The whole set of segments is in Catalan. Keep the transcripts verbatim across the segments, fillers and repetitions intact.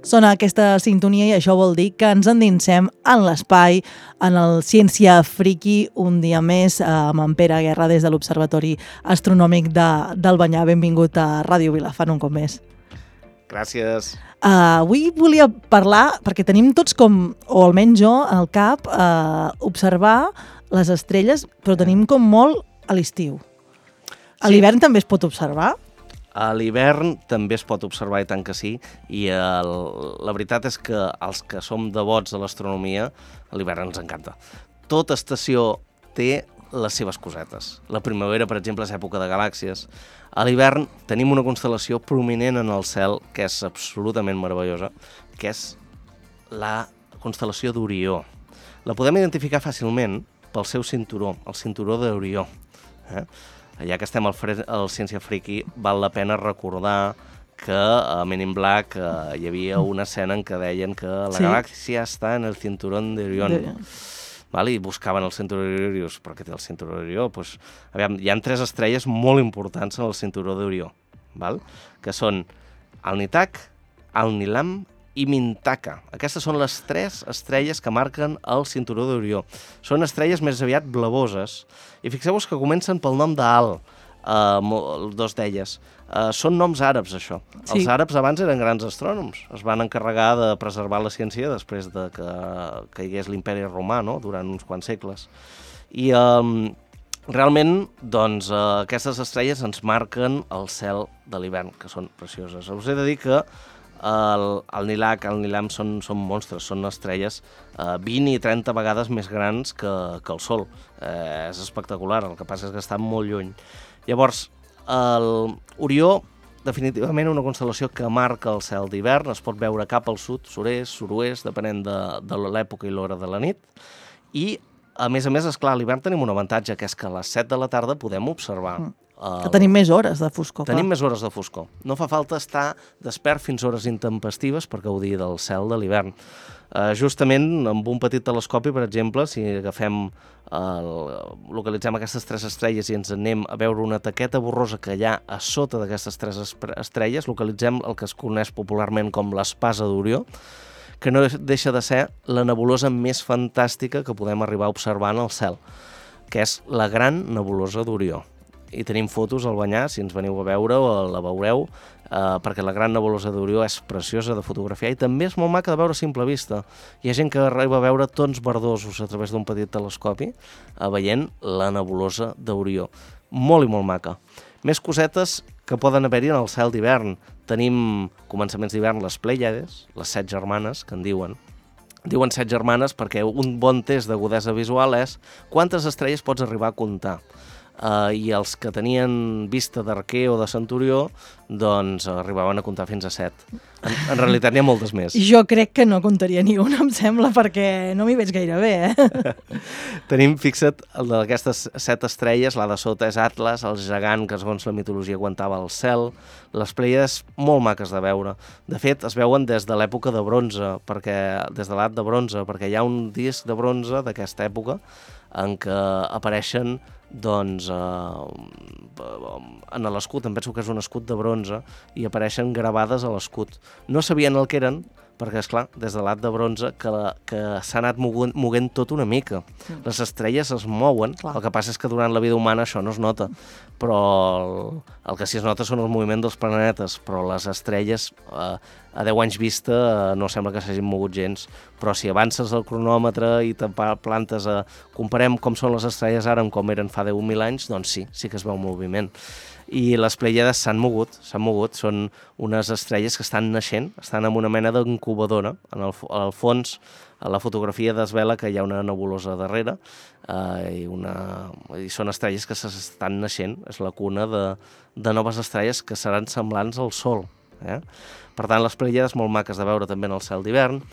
Sona aquesta sintonia i això vol dir que ens endinsem en l'espai, en el Ciència Friki, un dia més amb en Pere Guerra des de l'Observatori Astronòmic de, d'Albanyà. Benvingut a Ràdio Vilafant un cop més. Gràcies. Uh, avui volia parlar, perquè tenim tots com, o almenys jo, al cap, uh, observar les estrelles, però tenim com molt a l'estiu. A Sí. l'hivern també es pot observar? A l'hivern també es pot observar, i tant que sí, i el, la veritat és que els que som devots de l'astronomia, a l'hivern ens encanta. Tota estació té les seves cosetes. La primavera, per exemple, és època de galàxies. A l'hivern tenim una constel·lació prominent en el cel, que és absolutament meravellosa, que és la constel·lació d'Orió. La podem identificar fàcilment pel seu cinturó, el cinturó d'Orió. Eh? Ja que estem al, fre al Ciència Friki, val la pena recordar que a Men in Black eh, hi havia una escena en què deien que la Sí. galàxia està en el cinturón de Orión. De... Vale? I buscaven el cinturó d'Orió. Per què té el cinturó d'Orió? Pues, aviam, hi ha tres estrelles molt importants en el cinturó d'Orió, val? Que són Alnitak, Alnilam i Mintaka. Aquestes són les tres estrelles que marquen el cinturó d'Orió. Són estrelles més aviat blavoses. I fixeu-vos que comencen pel nom d'Al, uh, dos d'elles. Uh, són noms àrabs, això. Sí. Els àrabs abans eren grans astrònoms. Es van encarregar de preservar la ciència després de que caigués l'imperi romà, no?, durant uns quants segles. I um, realment, doncs, uh, aquestes estrelles ens marquen el cel de l'hivern, que són precioses. Us he de dir que el, el Nilac, el Nilam són, són monstres, són estrelles uh, vint i trenta vegades més grans que, que el Sol. Eh, és espectacular, el que passa és que estan molt lluny. Llavors, el Orió, definitivament una constel·lació que marca el cel d'hivern, es pot veure cap al sud, sud-est, sud-oest, depenent de, de l'època i l'hora de la nit. I, a més a més, esclar, a l'hivern tenim un avantatge, que és que a les set de la tarda podem observar. Mm. El... Que tenim més hores de foscor. Tenim clar. més hores de foscor. No fa falta estar despert fins hores intempestives per gaudir del cel de l'hivern. Uh, justament amb un petit telescopi, per exemple, si agafem, uh, localitzem aquestes tres estrelles i ens anem a veure una taqueta borrosa que hi ha a sota d'aquestes tres estrelles, localitzem el que es coneix popularment com l'espasa d'Orió, que no deixa de ser la nebulosa més fantàstica que podem arribar a observar en el cel, que és la gran nebulosa d'Orió. I tenim fotos al Banyà, si ens veniu a veure la veureu, eh, perquè la gran nebulosa d'Orió és preciosa de fotografiar i també és molt maca de veure a simple vista. Hi ha gent que arriba a veure tons verdosos a través d'un petit telescopi eh, veient la nebulosa d'Orió. Molt i molt maca. Més cosetes que poden haver-hi en el cel d'hivern. Tenim començaments d'hivern les Plèiades, les set germanes, que en diuen. Diuen set germanes perquè un bon test d'agudesa visual és quantes estrelles pots arribar a comptar. Uh, i els que tenien vista d'arquer o de centurió doncs arribaven a comptar fins a set. En, en realitat n'hi ha moltes més. Jo crec que no comptaria ni una, em sembla, perquè no m'hi veig gaire bé, eh? Tenim, fixa't, d'aquestes set estrelles, la de sota és Atlas, el gegant que segons la mitologia aguantava el cel, les Plèiades molt maques de veure. De fet, es veuen des de l'època de bronze, perquè, des de l'edat de bronze, perquè hi ha un disc de bronze d'aquesta època en què apareixen doncs, eh, en l'escut, em penso que és un escut de bronze, i apareixen gravades a l'escut. No sabien el que eren, perquè, esclar, des de l'edat de bronze, que, la, que s'ha anat moguent, moguent tot una mica. Mm. Les estrelles es mouen, clar. El que passa és que durant la vida humana això no es nota, però el, el que sí es nota són els moviments dels planetes, però les estrelles, eh, a deu anys vista, eh, no sembla que s'hagin mogut gens, però si avances el cronòmetre i te plantes a... comparem com són les estrelles ara amb com eren fa deu mil anys, doncs sí, sí que es veu moviment. I les Plèiades s'han mogut, s'han mogut, són unes estrelles que estan naixent, estan en una mena d'incubadora. En el, al fons, a la fotografia desvela que hi ha una nebulosa darrere, eh, i, una, i són estrelles que s'estan naixent, és la cuna de, de noves estrelles que seran semblants al Sol. Eh? Per tant, les Plèiades molt maques de veure també en el cel d'hivern.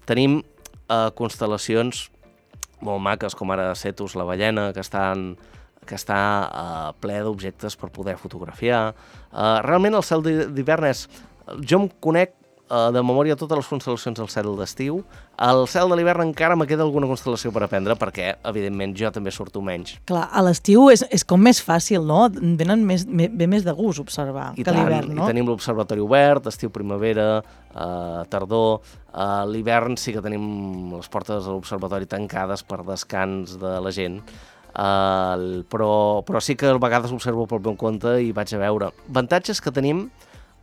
Tenim eh, constel·lacions molt maques, com ara Cetus, la ballena, que estan... que està uh, ple d'objectes per poder fotografiar. Uh, realment el cel d'hivern és... Jo em conec uh, de memòria totes les constel·lacions del cel d'estiu. Al cel de l'hivern encara me queda alguna constel·lació per aprendre, perquè, evidentment, jo també surto menys. Clar, a l'estiu és, és com més fàcil, no? Venen més, ve més de gust observar I que tant, l'hivern, no? I tenim l'observatori obert, estiu, primavera, uh, tardor. A l'hivern sí que tenim les portes de l'observatori tancades per descans de la gent. Uh, però, però sí que a vegades observo pel meu compte i vaig a veure. Avantatges que tenim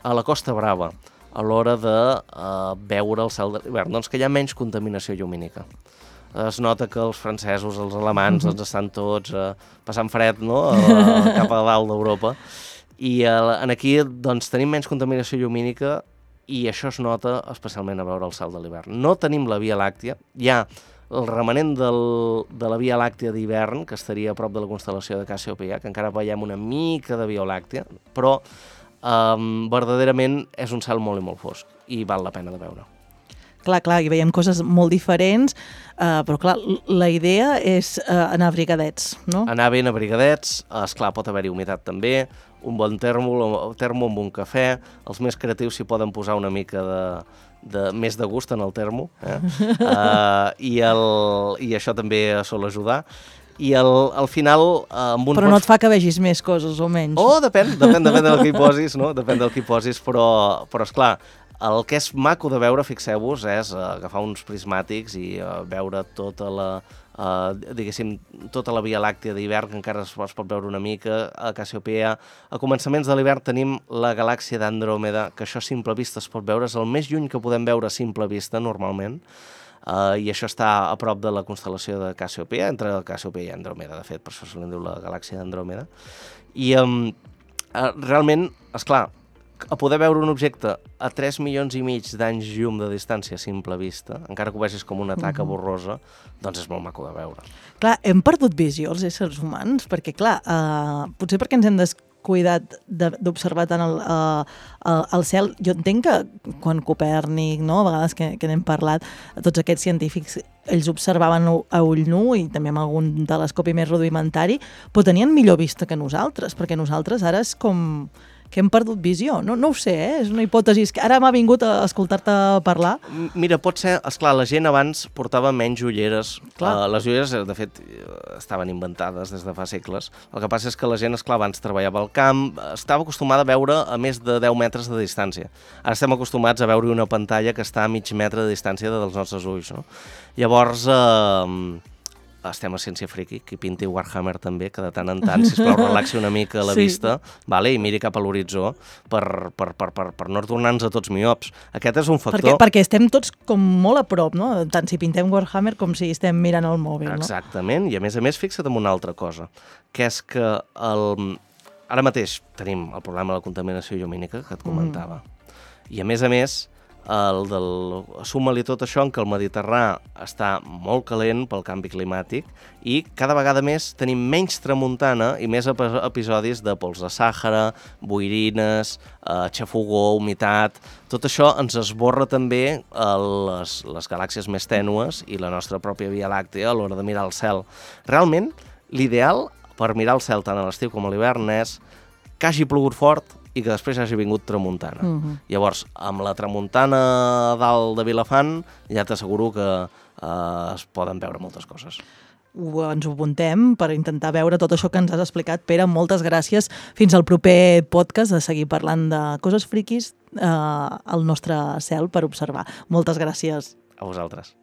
a la Costa Brava a l'hora de uh, veure el cel de l'hivern, doncs que hi ha menys contaminació llumínica. Es nota que els francesos, els alemans, uh-huh. ens estan tots uh, passant fred, no?, a, cap a dalt d'Europa, i uh, en aquí doncs, tenim menys contaminació llumínica i això es nota especialment a veure el cel de l'hivern. No tenim la Via Làctia, hi ha el remanent del, de la Via Làctia d'hivern, que estaria a prop de la constel·lació de Cassiopeia, que encara veiem una mica de Via Làctia, però Um, verdaderament és un cel molt i molt fosc i val la pena de veure. Clar, clar, hi veiem coses molt diferents, uh, però clar, la idea és uh, anar abrigadets, no? Anar ben abrigadets, esclar, pot haver-hi humitat també, un bon termo, termo amb un cafè, els més creatius s'hi poden posar una mica de, de més de gust en el termo, eh? uh, i, el, i això també sol ajudar. I al, al final... Eh, amb un però no et fa que vegis més coses o menys. Oh, depèn, depèn, depèn del que hi posis, no? Depèn del que hi posis, però, però esclar, el que és maco de veure, fixeu-vos, és uh, agafar uns prismàtics i uh, veure tota la, uh, diguéssim, tota la Via Làctia d'hivern, que encara es, es pot veure una mica, a Cassiopeia. A començaments de l'hivern tenim la galàxia d'Andròmeda, que això a simple vista es pot veure, és el més lluny que podem veure a simple vista, normalment. Uh, i això està a prop de la constel·lació de Cassiopeia, entre Cassiopeia i Andròmeda, de fet, per això se li diu la galàxia d'Andròmeda. I um, uh, realment, esclar, a poder veure un objecte a tres milions i mig d'anys llum de distància a simple vista, encara que ho vegis com una taca uh-huh. borrosa, doncs és molt maco de veure. Clar, hem perdut visió els éssers humans, perquè clar, uh, potser perquè ens hem descuidat d'observar tant el, uh, el cel. Jo entenc que quan Copèrnic, no, a vegades que, que n'hem parlat, tots aquests científics, ells observaven a ull nu i també amb algun telescopi més rudimentari, però tenien millor vista que nosaltres, perquè nosaltres ara és com que hem perdut visió. No, no ho sé, eh? És una hipòtesi que ara m'ha vingut a escoltar-te parlar. Mira, pot ser, esclar, la gent abans portava menys ulleres. Uh, les ulleres, de fet, estaven inventades des de fa segles. El que passa és que la gent, esclar, abans treballava al camp, estava acostumada a veure a més de deu metres de distància. Ara estem acostumats a veure una pantalla que està a mig metre de distància dels nostres ulls, no? Llavors, eh, estem a Ciència Friki, qui pinti Warhammer també, que de tant en tant, sisplau, relaxi una mica la sí. vista, vale? I miri cap a l'horitzó per, per, per, per, per no tornar-nos a tots miops. Aquest és un factor... Perquè, perquè estem tots com molt a prop, no? Tant si pintem Warhammer com si estem mirant el mòbil, no? Exactament, i a més a més, fixa't en una altra cosa, que és que el... ara mateix tenim el problema de la contaminació llumínica, que et comentava, mm. i a més a més, el del... suma-li tot això en que el Mediterrani està molt calent pel canvi climàtic i cada vegada més tenim menys tramuntana i més episodis de pols de Sàhara, boirines, eh, xafogó, humitat... Tot això ens esborra també les, les galàxies més tènues i la nostra pròpia Via Làctea a l'hora de mirar el cel. Realment, l'ideal per mirar el cel tant a l'estiu com a l'hivern és que hagi plogut fort i que després hagi vingut tramuntana. Uh-huh. Llavors, amb la tramuntana dalt de Vilafant, ja t'asseguro que eh, es poden veure moltes coses. Ho, ens ho apuntem per intentar veure tot això que ens has explicat. Pere, moltes gràcies. Fins al proper podcast de seguir parlant de coses friquis eh, al nostre cel per observar. Moltes gràcies. A vosaltres.